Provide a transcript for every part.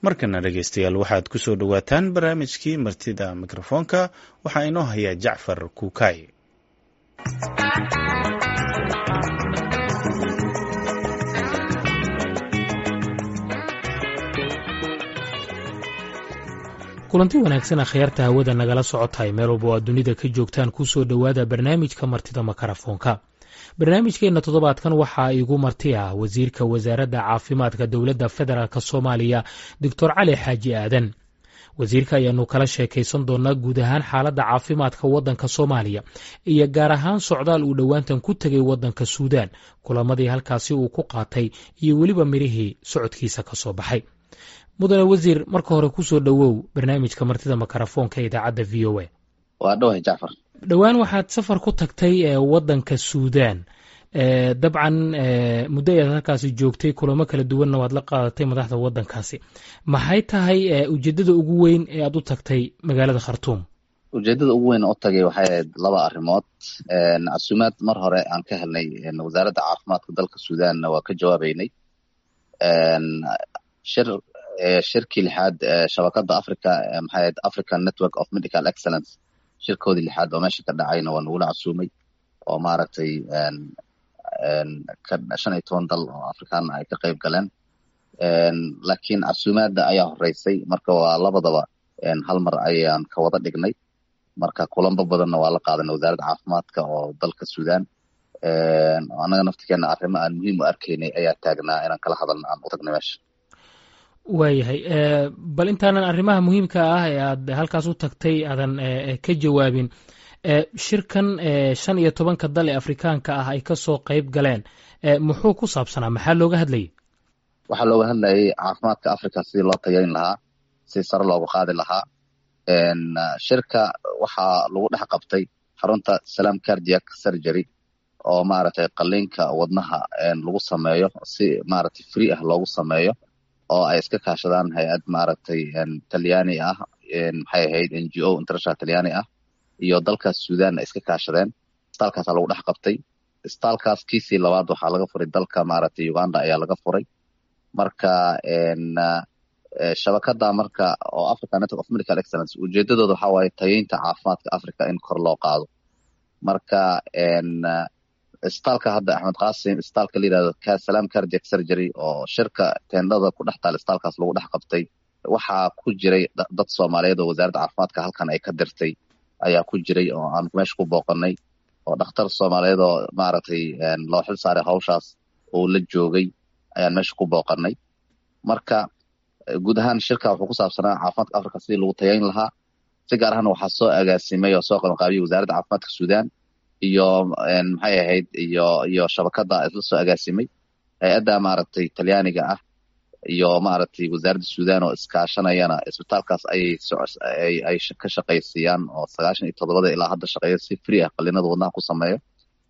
Markana dhegeystayaal, waxaad ku soo dhowaataan barnaamijkii Martida Mikrofoonka. Waxaa inoo haya Jacfar Kuukay. Kulanti wanaagsan, akhyaarta hawada nagala socotahay meel walba oo aad dunida ka joogtaan, kusoo dhowaada barnaamijka Martida Makarafoonka. Barnaamijkeenna toddobaadkan waxaa igu marti ah wasiirka wasaaradda caafimaadka dowladda federaalk Soomaaliya, Doctor Cali Xaaji Aadan. Wasiirka ayaanu kala sheekaysan doonaa guud ahaan xaaladda caafimaadka waddanka Soomaaliya iyo gaar ahaan socdaal uu dhowaantan ku tegay waddanka Suudaan, kulamadii halkaasi uu ku qaatay iyo weliba mirihii socodkiisa ka soo baxay. Mudane wasiir, marka hore kusoo dhowow barnaamijka Martida Makarafoonka idaacadda VOA. Waa dhawahay, Jacfar. Dhowaan waxaad safar ku tagtay waddanka Suudaan. Dabcan muddo ayaad halkaasi joogtay, kulamo kala duwanna waad la qaadatay madaxda waddankaasi. Maxay tahay ujeeddada ugu weyn ee aad u tagtay magaalada Khartuum? Ujeeddada ugu weyn u tagay waxay ahayd laba arrimood. Casuumaad mar hore aan ka helnay wasaaradda caafimaadka dalka Suudaanna waa ka jawaabeynay. Shir shirkii lixaad shabakada Africa, maxay ahayd, African Network of Medical Excellence, shirkoodii lixaad oo meesha ka dhacayna waa nagula casuumay, oo maaragtay 15 dal oo Afrikaana ay ka qayb galeen. Laakiin casuumaadda ayaa horeysay, marka waa labadaba hal mar ayaan ka wada dhignay. Marka kulanbo badanna waa la qaadanay wasaaradda caafimaadka oo dalka Suudaan. Annaga naftikeena arrimo aan muhiim u arkaynay ayaa taagnaa inaan kala hadalna aan u tagnay meesha. Waayahay, bal intaanan arrimaha muhiimka ah ee aad halkaas u tagtay aadan ka jawaabin, shirkan 15-ka dal ee Afrikaanka ah ay kasoo qayb galeen muxuu ku saabsanaa? Maxaa looga hadlayay? Waxaa looga hadlayay caafimaadka Africa sidii loo tayayn lahaa, si sare loogu qaadi lahaa. Shirka waxaa lagu dhex qabtay xarunta Salam Cardiac Surgery, oo maaragtay qaliinka wadnaha lagu sameeyo, si maaragtay free ah loogu sameeyo, oo ay iska kaashadaan hay-ad maaragtay Talyaani ah, maxay ahayd, NGO international Talyaani ah iyo dalkaas Suudan ay iska kaashadeen. Isbitaalkaasaa lagu dhex qabtay. Isbitaalkaas kiisii labaad waxaa laga furay dalka maaragtay Uganda ayaa laga furay. Marka shabakada marka oo Africa Network of Medical Excellence ujeedadooda waxaa waaye tayeynta caafimaadka Africa in kor loo qaado. Marka isbitaalka hadda Axmed Qaasim, isbitaalka la yirahdo Salam Cardiac Surgery oo shirka teendhada ku dhex taal, isbitaalkaas lagu dhex qabtay, waxaa ku jiray dad Soomaaliyeed oo wasaaradda caafimaadka halkan ay ka dirtay ayaa ku jiray, oo aan meesha ku booqanay, oo dhakhtar Soomaaliyeed oo maaragtay loo xil saaray hawshaas oo la joogay ayaan meesha ku booqanay. Marka guud ahaan shirka wuxuu ku saabsanaa caafimaadka Africa sidii lagu tayayn lahaa. Si gaar ahna waxaa soo agaasimay oo soo qabanqaabiyey wasaaradda caafimaadka Suudaan iyo maxay ahayd iyo shabakada isla soo agaasimay, hay-adda maaragtay Talyaaniga ah iyo maaragtay wasaaradda Suudaan oo iskaashanayana. Isbitaalkaas ayay ay ka shaqaysiiyaan oo 97-da ilaa hadda shaqeeya, si free ah qaliinada wadnaha ku sameeyo.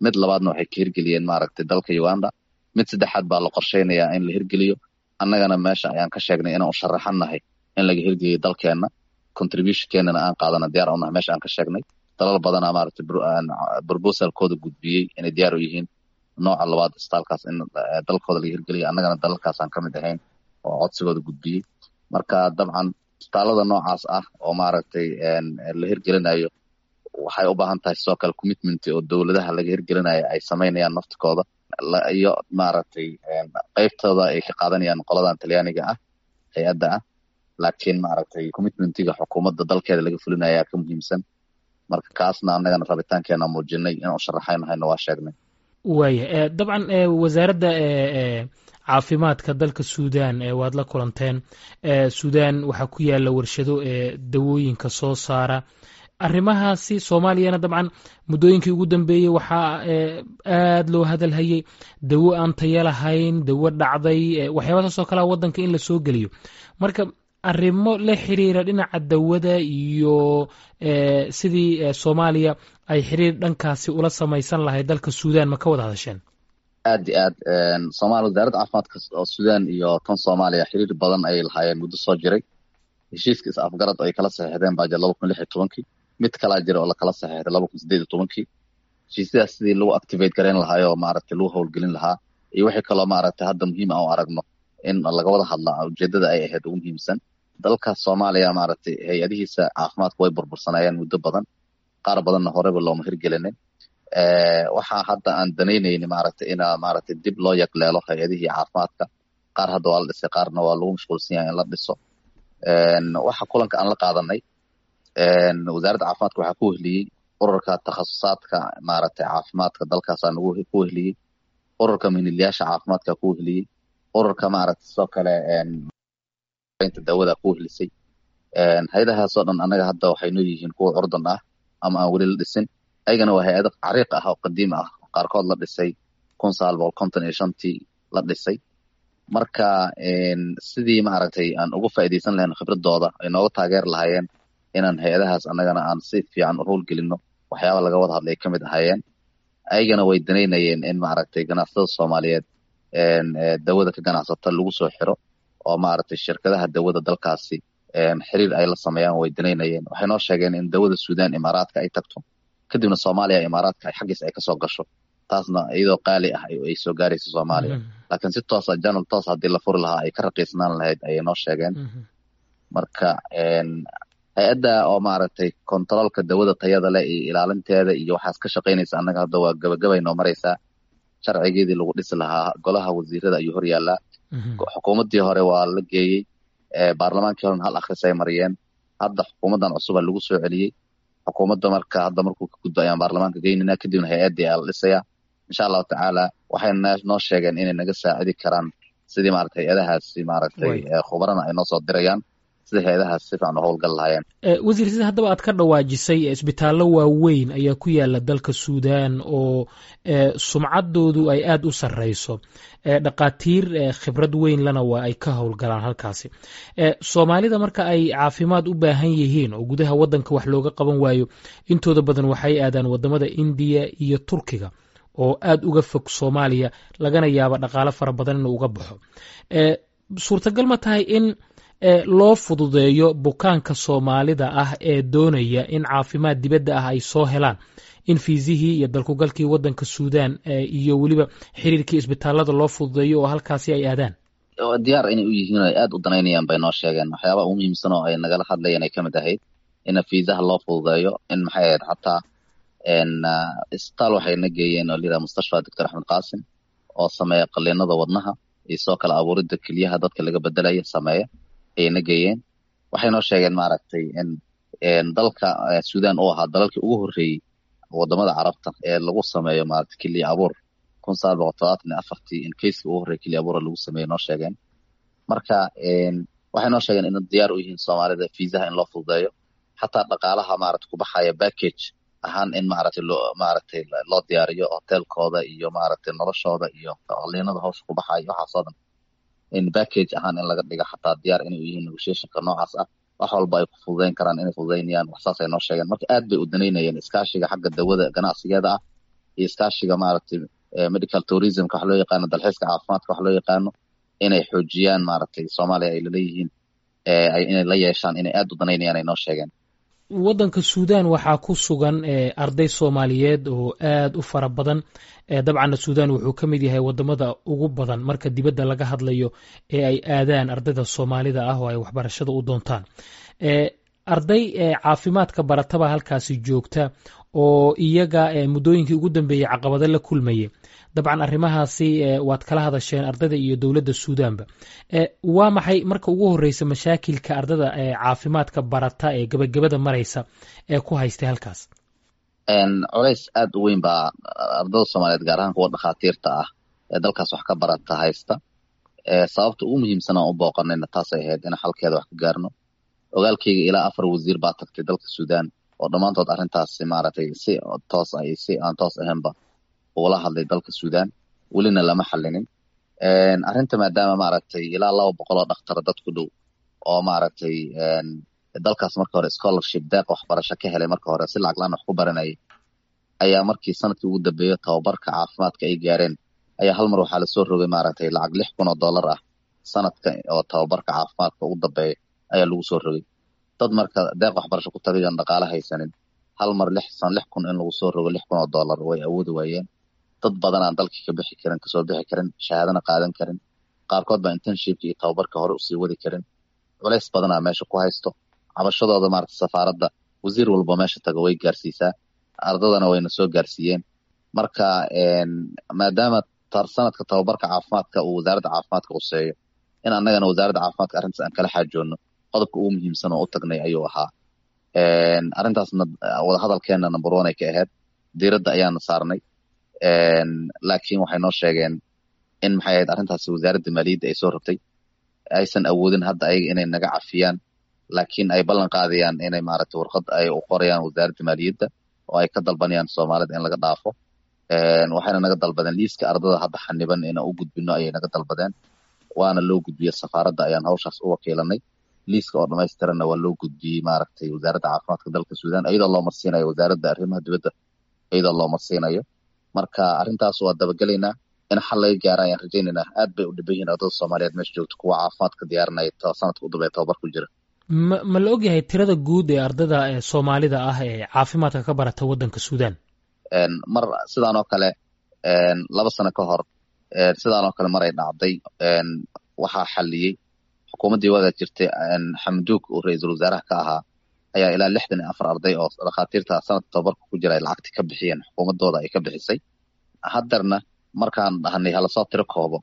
Mid labaadna waxay ka hirgeliyeen maaragtay dalka Uganda. Mid saddexaad baa la qorsheynayaa in la hirgeliyo. Annagana meesha ayaan ka sheegnay inaan u sharaxannahay in laga hirgeliyo dalkeenna, contributionkeenana aan qaadana diyaar u nahay. Meesha aan ka sheegnay dalal badanaa maaragtay proposalkooda gudbiyey inay diyaar u yihiin nooca labaad isbitaalkaas in dalkooda laga hirgeliyo. Annagana dalalkaas aan ka mid ahayn oo codsigooda gudbiyey. Marka dabcan isbitaalada noocaas ah oo maaragtay la hirgelinayo waxay u baahan tahay sidoo kale commitment oo dowladaha laga hirgelinayo ay samaynayaan naftikooda iyo maaragtay qeybtooda ay ka qaadanayaan qoladan Talyaaniga ah, hay-adda ah. Laakiin maaragtay commitmentiga xukuumadda dalkeeda laga fulinaya ka muhiimsan. Marka kaasna annagana rabitaankeena muujinay, inaan u sharaxaynahayna waa sheegnay. Waaya, dabcan wasaaradda caafimaadka dalka Suudan waad la kulanteen. Suudan waxaa ku yaala warshado dawooyinka soo saara. Arrimahaasi Soomaaliyana dabcan muddooyinkii ugu dambeeyey waxaa aad loo hadalhayay dawo aan tayo lahayn, dawo dhacday, waxyaabahaas oo kalea waddanka in la soo geliyo. Marka arrimo la xiriira dhinaca dawada iyo sidii Soomaaliya ay xiriir dhankaasi ula samaysan lahayd dalka Suudan, ma ka wada hadasheen? Aad iyo aad. Somalia, wasaaradda caafimaadka oo Suudan iyo tan Soomaaliya xiriir badan ayay lahaayeen muddo soo jiray. Heshiiska is afgarad ay kala saxiixdeen baa jira 2016-kii, mid kalaa jira oo lakala saxiixday 2018-kii. Heshiisyadaas sidii lagu activate garayn lahaayoo maaragtay lagu howlgelin lahaa iyo wixii kaloo maaragtay hadda muhiim aan u aragno In laga wada hadla ujeedada ay ahayd ugu muhiimsan. Dalka Soomaaliya, maaragtay, hay-adihiisa caafimaadka way burbursanayeen muddo badan, qaar badanna horeba looma hirgelinin. Waxaa hadda aan danaynayni, maaragtay, ina, maaragtay, dib loo yagleelo hay-adihii caafimaadka. Qaar hadda waa la dhisay, qaarna waa lagu mashquulsan yahay in la dhiso. Waxa kulanka aan la qaadanay wasaaradda caafimaadka waxaa ku wehliyey ururka takhasusaadka, maaragtay, caafimaadka dalkaasaa nagu ku wehliyey, ururka mihnilayaasha caafimaadka ku wehliyey, ururka, maaragtay, sidoo kale inta daawada ku wehlisay. Hay-adahaasoo dhan annaga hadda waxay noo yihiin kuwa curdan ah ama aan weli la dhisin. Ayagana waa hay-ado cariiq ah oo qadiim ah, qaarkood la dhisay 1955-tii la dhisay. Marka sidii, maaragtay, aan uga faa'iidaysan lahayn khibradooda, ay nooga taageeri lahaayeen inaan hay-adahaas annagana aan si fiican u howlgelino, waxyaaba laga wada hadlay ka mid ahaayeen. Ayagana way danaynayeen in, maaragtay, ganacsatada Soomaaliyeed dawada ka ganacsata lagu soo xiro oo, maaragtay, shirkadaha dawada dalkaasi xiriir ay la sameeyaan way danaynayeen. Waxay noo sheegeen in dawada Suudaan Imaaraadka ay tagto, kadibna Soomaaliya Imaaraadka ay xaggiis ay kasoo gasho, taasna iyadoo qaali ah ay soo gaarayso Soomaaliya, laakiin si toosa, channel toos haddii la furi lahaa, ay ka raqiisnaan lahayd ayay noo sheegeen. Marka hay-adda oo, maaragtay, kontaroolka dawada tayada leh iyo ilaalinteeda iyo waxaas ka shaqaynaysa, annaga hadda waa gabagabay noo maraysaa. Sharcigeedii lagu dhisi lahaa golaha wasiirada ayuu hor yaallaa. Xukuumaddii hore waa la geeyey baarlamaankii horena, hal akhris ay mariyeen. Hadda xukuumaddan cusuba lagu soo celiyey xukuumadda. Marka hadda markuu ka gudbo ayaan baarlamaanka geynayna, kadibna hay-addii ayaa la dhisayaa, insha Allahu tacaala. Waxay noo sheegeen inay naga saacidi karaan sidii, maaragtay, hay-adahaasi, maaragtay, khubarana ay noo soo dirayaan sidii hay-adahaas si fiican u howlgal lahaayeen. Wasiir, sida haddaba aad ka dhawaajisay, isbitaallo waaweyn ayaa ku yaala dalka Suudaan oo sumcaddoodu ay aada u sarreyso, dhaqaatiir khibrad weyn lana waa ay ka howlgalaan halkaasi. Soomaalida marka ay caafimaad u baahan yihiin oo gudaha waddanka wax looga qaban waayo, intooda badan waxay aadaan waddamada Indiya iyo Turkiga oo aada uga fog Soomaaliya, lagana yaabo dhaqaalo fara badan inuu uga baxo. Suurtagal ma tahay in loo fududeeyo bukaanka Soomaalida ah ee doonaya in caafimaad dibadda ah ay soo helaan in fiisihii iyo dalkugalkii waddanka Suudaan iyo weliba xiriirkii isbitaalada loo fududeeyo oo halkaasi ay aadaan? Diyaar inay u yihiin oo ay aada u danaynayaan bay noo sheegeen. Waxyaabaha ugu muhiimsan oo ay nagala hadlayeen ay ka mid ahayd in fiisaha loo fududeeyo, in, maxay ahayd, xataa isbitaal waxay na geeyeen oo la yidhaha Mustashfa Doctor Axmed Qaasim oo sameeya qaliinada wadnaha iyo sidoo kale abuuridda keliyaha dadka laga bedelaya sameeya ayay na geeyeen. Waxay noo sheegeen, maaragtay, in dalka Suudaan uu ahaa dalalkii ugu horreeyey wadamada Carabta ee lagu sameeyo, maaragtay, keliya abuur. 1974-tii in caseka ugu horreeya keliya abuura lagu sameeyo noo sheegeen. Marka waxay noo sheegeen in diyaar u yihiin Soomaalida fiisaha in loo fududeeyo, xataa dhaqaalaha, maaragtay, ku baxaya package ahaan in, maaragtay, loo, maaragtay, loo diyaariyo hotelkooda iyo, maaragtay, noloshooda iyo qaliinada hawsha ku baxaya, waxaasoo dhan in package ahaan in laga dhigo xataa diyaar inay u yihiin. Negotiationka noocaas ah wax walba ay ku fududeyn karaan inay fududeynayaan, wax saas ay noo sheegeen. Marka aad bay u danaynayeen iskaashiga xagga dawada ganacsigeeda ah iyo iskaashiga, maaragtay, medical tourismka wax loo yaqaano, dalxiiska caafimaadka wax loo yaqaano, inay xoojiyaan, maaragtay, Soomaaliya ay laleeyihiin, inay la yeeshaan, inay aad u danaynayaan ay noo sheegeen. Waddanka Suudaan waxaa ku sugan arday Soomaaliyeed oo aad u fara badan. Dabcanna Suudaan wuxuu ka mid yahay waddamada ugu badan marka dibadda laga hadlayo ee ay aadaan ardayda Soomaalida ah oo ay waxbarashada u doontaan. Arday caafimaadka barataba halkaasi joogta oo iyaga muddooyinkii ugu dambeeyey caqabado la kulmayay. Dabcan arrimahaasi waad kala hadasheen ardayda iyo dowladda Suudaanba. Waa maxay marka ugu horreysa mashaakilka ardada caafimaadka barata ee gebagabada maraysa ee ku haystay halkaas? Culays aad u weyn baa ardada Soomaaliyeed, gaar ahaan kuwa dhakhaatiirta ah ee dalkaas wax ka barata, haysta. Sababta ugu muhiimsan aan u booqanayna taasay ahayd, in xalkeeda wax ka gaarno. Ogaalkeyga ilaa afar wasiir baa tagtay dalka Suudaan oo dhammaantood arrintaasi, maaragtay, si toos ah iyo si aan toos ahaynba ugala hadlay dalka Suudaan, welina lama xalinin arrinta, maadaama, maaragtay, ilaa 200 oo dhakhtar dad ku dhow oo, maaragtay, dalkaas marka hore scholarship, deeq waxbarasho ka helay, marka hore si lacag laan wax ku baranayay, ayaa markii sanadkii ugu dambeeyo tababarka caafimaadka ay gaareen ayaa hal mar waxaa lasoo rogay, maaragtay, lacag $6,000 ah sanadka oo tababarka caafimaadka ugu dambeeya ayaa lagu soo rogay. Dad marka deeq waxbarasho ku tagay oon dhaqaale haysanin, hal mar lix san 6,000 in lagu soo rogo, $6,000, way awoodi waayeen. Dad badan aan dalkii ka bixi karin, kasoo bixi karin, shahaadana qaadan karin. Qaarkood baa internshipka iyo tababarka hore usii wadi karin. Culays badanaa meesha ku haysto. Cabashadooda maaragtay safaaradda wasiir walba meesha tago way gaarsiisaa, ardadana wayna soo gaarsiiyeen. Marka maadaama sanadka tababarka caafimaadka uu wasaaradda caafimaadka quseeyo, in annagana wasaaradda caafimaadka arrintaas aan kala xaajoonno, qodobka ugu muhiimsan oo u tagnay ayuu ahaa. Arrintaasna wadahadalkeenna number one ay ka ahayd, diiradda ayaana saarnay. Laakiin waxay noo sheegeen in maxay ahayd arrintaasi wasaaradda maaliyadda ay soo rogtay, aysan awoodin hadda ayaga inay naga cafiyaan, laakiin ay ballan qaadayaan inay maaragtay warqad ay u qorayaan wasaaradda maaliyadda oo ay ka dalbanayaan Soomaalida in laga dhaafo. Waxayna naga dalbadeen liiska ardada hadda xaniban inaan u gudbino ayay naga dalbadeen, waana loo gudbiyey. Safaaradda ayaan hawshaas u wakiilanay. Liiska oo dhamaystiranna waa loo gudbiyey maaragtay wasaaradda caafimaadka dalka Suudaan, iyadoo loo marsiinayo wasaaradda arrimaha dibadda, iyadoo loo marsiinayo. Marka arrintaas waa dabagelaynaa, in xal laga gaara ayaan rajaynaynaa. Aad bay u dhiban yihiin ardada Soomaaliyeed meesha joogta, kuwa caafimaadka diyaarinaya sanadka u dambeeya tababar ku jira. Ma la ogyahay tirada guud ee ardada Soomaalida ah ee caafimaadka ka barata waddanka Suudaan? Mar sidaan oo kale 2 sano ka hor, sidaan oo kale maray dhacday, waxaa xaliyey xukuumaddii waagaa jirtay, Xamduug uu ra-iisul wasaaraha ka ahaa, ayaa ilaa 64 arday oo dhakhaatiirta sanadka tababarka ku jira ay lacagti ka bixiyeen, xukuumadooda ay ka bixisay. Haddeerna markaan dhahnay halasoo tiro koobo,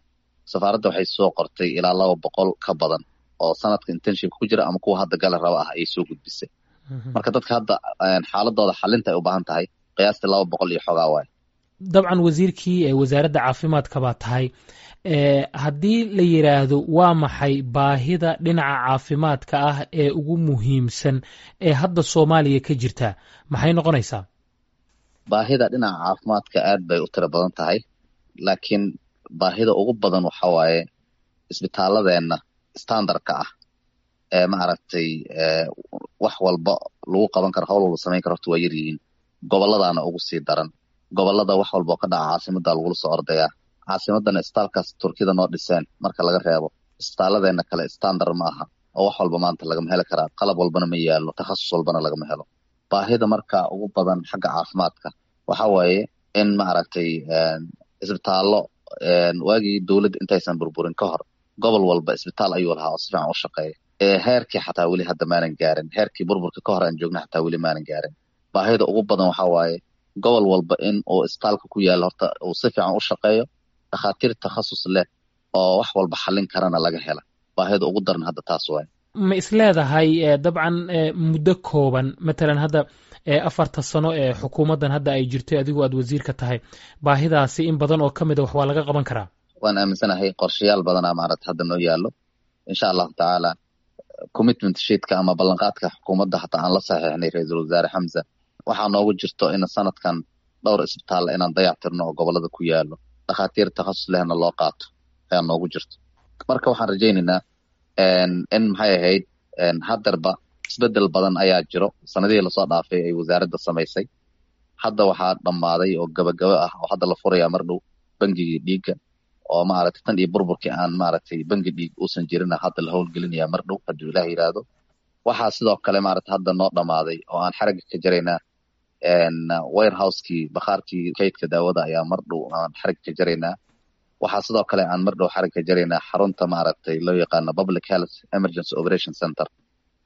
safaaradda waxay soo qortay ilaa 200 ka badan oo sanadka internship ku jira ama kuwa hadda gala raba ah ayay soo gudbisay. Marka dadka hadda xaaladooda xalinta ay u baahan tahay qiyaastii 200 iyo xoogaa waay. Dabcan wasiirkii wasaaradda caafimaadka baa tahay. Haddii la yidhaahdo waa maxay baahida dhinaca caafimaadka ah ee ugu muhiimsan ee hadda Soomaaliya ka jirta, maxay noqonaysaa? Baahida dhinaca caafimaadka aad bay u tiro badan tahay, laakiin baahida ugu badan waxa waaye isbitaaladeenna standardka ah ee maaragtay wax walba lagu qaban karo, hawl walba samayn karo, horta waa yar yihiin. Gobolladana ugu sii daran. Gobolada wax walba oo ka dhaca caasimada lagula soo ordayaa. Caasimadana isbitaalkaas Turkida noo dhiseen marka laga reebo, isbitaaladeenna kale standard ma aha oo wax walba maanta lagama heli karaa, qalab walbana ma yaalo, takhasus walbana lagama helo. Baahida marka ugu badan xagga caafimaadka waxa waaye in maaragtay isbitaallo. Waagii dowladda intaysan burburin ka hor, gobol walba isbitaal ayuu lahaa oo si fiican u shaqeeya. Heerkii xataa weli hadda maanan gaarin, heerkii burburka ka hor aan joogna xataa weli maanan gaarin. Baahida ugu badan waxa waaye gobol walba in uu isbitaalka ku yaalo horta uu si fiican u shaqeeyo, dhakhaatiir takhasus leh oo wax walba xallin karana laga hela. Baahida ugu daran hadda taas waaye. Ma isleedahay dabcan muddo kooban, matalan hadda 4ta sano ee xukuumaddan hadda ay jirtay, adigu aad wasiirka tahay, baahidaasi in badan oo ka mid a wax waa laga qaban karaa? Waan aaminsanahay. Qorshayaal badanaa maaragta hadda noo yaallo, insha Allahu tacaala. Commitment sheetka ama ballanqaadka xukuumadda hataa aan la saxiixnay ra-iisul wasaare Xamza waxaa noogu jirto in sanadkan dhowr isbitaal inaan dayactirno oo gobolada ku yaallo, dhakhaatiir takhasus lehna loo qaato ayaa noogu jirto. Marka waxaan rajaynaynaa in maxay ahayd haddarba isbedel badan ayaa jiro sanadihii lasoo dhaafay ay wasaaradda samaysay. Hadda waxaa dhammaaday oo gabagabo ah oo hadda la furayaa mar dhow bangigii dhiigga, oo maaragtay tan iyo burburkii aan maaragtay bangi dhiig uusan jirina, hadda la howlgelinaya mar dhow hadduu Ilaah yidhaahdo. Waxaa sidoo kale maaragtay hadda noo dhammaaday oo aan xaragga ka jaraynaa warehouse-kii, bakhaarkii kaydka daawada ayaa mar dhow aan xaragga ka jaraynaa. Waxaa sidoo kale aan mar dhow xaragga ka jaraynaa xarunta maaragtay loo yaqaano Public Health Emergency Operation Center,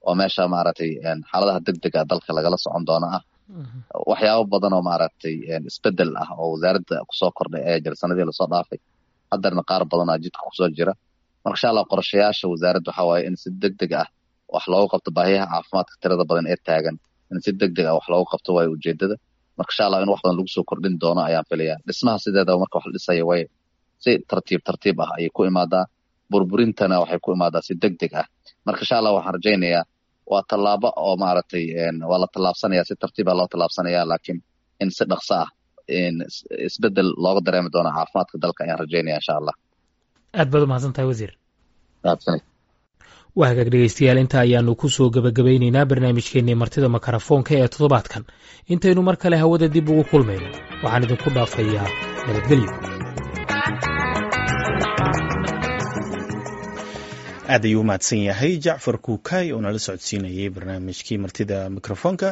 oo meesha maaragtay xaaladaha degdega dalka lagala socon doono ah. Waxyaabo badan oo maaragtay isbedel ah oo wasaaradda kusoo kordhay ayaa jira sanadihii lasoo dhaafay, haddarna qaar badanaa jidka kusoo jira. Marka insha Allah qorshayaasha wasaaradda waxaa waaye in si degdeg ah wax loogu qabto baahiyaha caafimaadka tirada badan ee taagan, in si degdeg ah wax loogu qabto waayo ujeedada. Marka insha Allah in wax badan lagu soo kordhin doono ayaan filayaa. Dhismaha sideedaba marka wax la dhisaya way si tartiib tartiib ah ayay ku imaadaa, burburintana waxay ku imaadaa si degdeg ah. Marka insha Allah waxaan rajaynayaa waa tallaabo oo maaragtay waa la tallaabsanaya, si tartiiba loo tallaabsanaya, laakiin in si dhaqso ah isbedel looga dareemi doono caafimaadka dalka ayaan rajaynaya insha Allah. Aad baad umahadsan tahay, wasiir. Mahadsanid. Waa hagaag, dhegeystayaal, inta ayaanu ku soo gebagabaynaynaa barnaamijkeennii martida makarafoonka ee toddobaadkan. Intaynu mar kale hawada dib ugu kulmayno, waxaan idinku dhaafayaa nabadgelyo. Aad ayuu umahadsan yahay Jacfar Kuukay oo nala socodsiinayay barnaamijkii martida mikrofoonka.